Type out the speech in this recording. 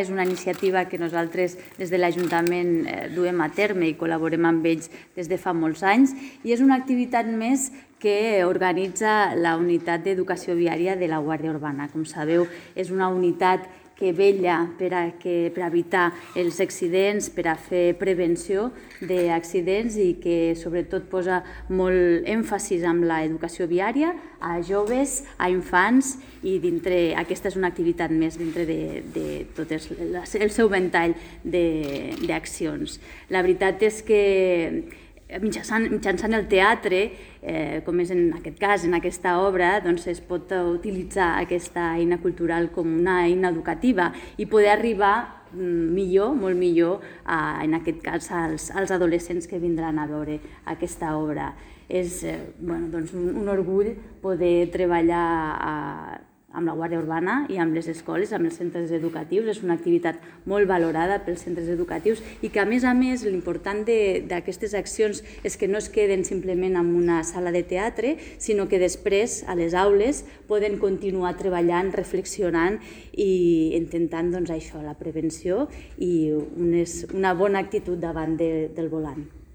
És una iniciativa que nosaltres des de l'Ajuntament duem a terme i col·laborem amb ells des de fa molts anys i és una activitat més que organitza la Unitat d'Educació Viària de la Guàrdia Urbana. Com sabeu, és una unitat que vetlla per evitar els accidents, per a fer prevenció d'accidents i que sobretot posa molt èmfasis en l'educació viària a joves, a infants i aquesta és una activitat més dintre de tot el seu ventall d'accions. La veritat és que mitjançant el teatre, com és en aquest cas, en aquesta obra, es pot utilitzar aquesta eina cultural com una eina educativa i poder arribar millor, molt millor, en aquest cas, als adolescents que vindran a veure aquesta obra. És un orgull poder treballar amb la Guàrdia Urbana i amb les escoles, amb els centres educatius. És una activitat molt valorada pels centres educatius i que, a més, l'important d'aquestes accions és que no es queden simplement en una sala de teatre, sinó que després, a les aules, poden continuar treballant, reflexionant i intentant la prevenció i una bona actitud davant del volant.